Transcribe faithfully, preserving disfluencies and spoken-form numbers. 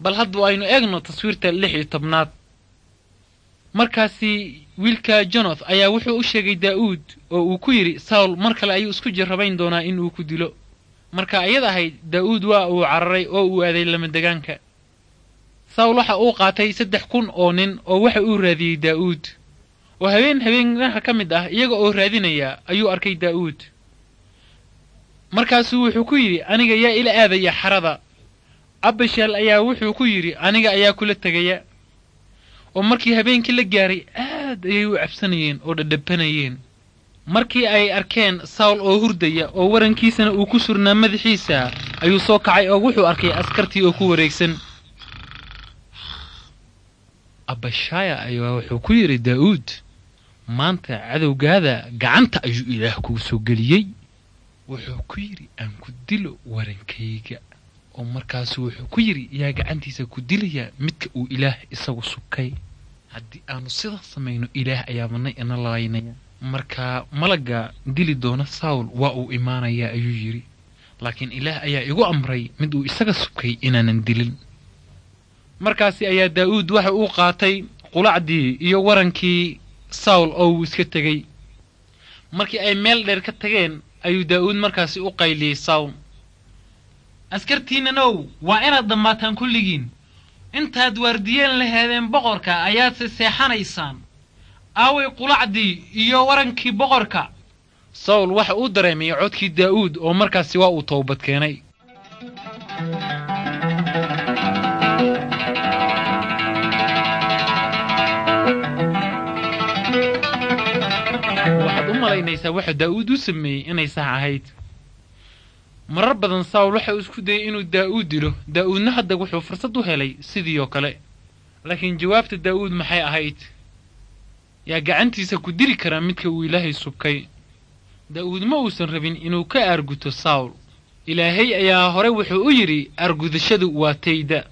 Bal hadda aynu eegno taswiirta lix iyo tobnaad. Markaasi wiilka Jonath ayaa wuxuu u sheegay Daa'uud oo uu ku yidhi, Sawl mar kale ayuu isku jirrabayn doonaa in uu ku dilo. Marka ayad ahayd, Daa'uud waa uu cararay oo uu aaday lamadegaanka. Sawl waxa uu qaatay saddex kun oo nin oo waxa uu raadiyey Daa'uud. Oo habeen habeenaha ka mid ah iyaga oo raadinaya ayuu arkay Daa'uud. Markaasuu wuxuu ku yidhi, aniga yaa ila aadaya xarada? Abishal ayaa wuxuu ku yidhi, aniga ayaa kula tegaya. Oo markii habeenkii la gaaray aad ayay u cabsanayeen oo dhadhabanayeen. Markii ay arkeen Sawl oo hurdaya oo warankiisana uu ku surnaa madaxiisa, ayuu soo kacay oo wuxuu arkay askartii oo ku wareegsan. Abashaya ayaa wuxuu ku yidhi Daa'uud, maanta cadowgaada gacanta ayuu Ilaah kugu soo geliyey. Wuxuu ku yidhi, aan ku dilo warankayga. Oo markaasu wuxuu ku yidhi, yaa gacantiisa ku dilaya midka uu Ilaah isagu subkay? Haddii aanu sidaas samayno, Ilaah ayaabana ina laynaya. Marka malagga dili doona Sawl waa uu imaanayaa, ayuu yidhi, laakiin Ilaah ayaa igu amray mid uu isaga subkay inaanan dilin. Markaasi ayaa Daa'uud waxa uu qaatay qulacdii iyo warankii Sawl oo uu iska tegey. Markii ay meel dheer ka tageen ayuu Daa'uud markaasi u qayliyey Sawl, askartiinnanow, waa inaad dhammaataan kulligiin. Intaad waardiyeen laheedeen boqorka ayaadse seexanaysaan. Aaway qulacdii iyo warankii boqorka? Sawl waxa uu dareemay codkii Daa'uud oo markaasi waa uu toobad keenay. Waxaad u malaynaysaa waxa Daa'uud u sameeyey inay sax ahayd. Marar badan Sawl waxa uu isku dayay inuu Daa'uud dilo, Daa'uudna hadda wuxuu fursad u helay sidii oo kale. Laakiin jawaabta Daa'uud maxay ahayd? Yaa gacantiisa ku dili karaa midka uu Ilaahay subkay? Daa'uud ma uusan rabin inuu ka aarguto Sawl. Ilaahay ayaa hore wuxuu u yidhi, aargudashadu waa tayda.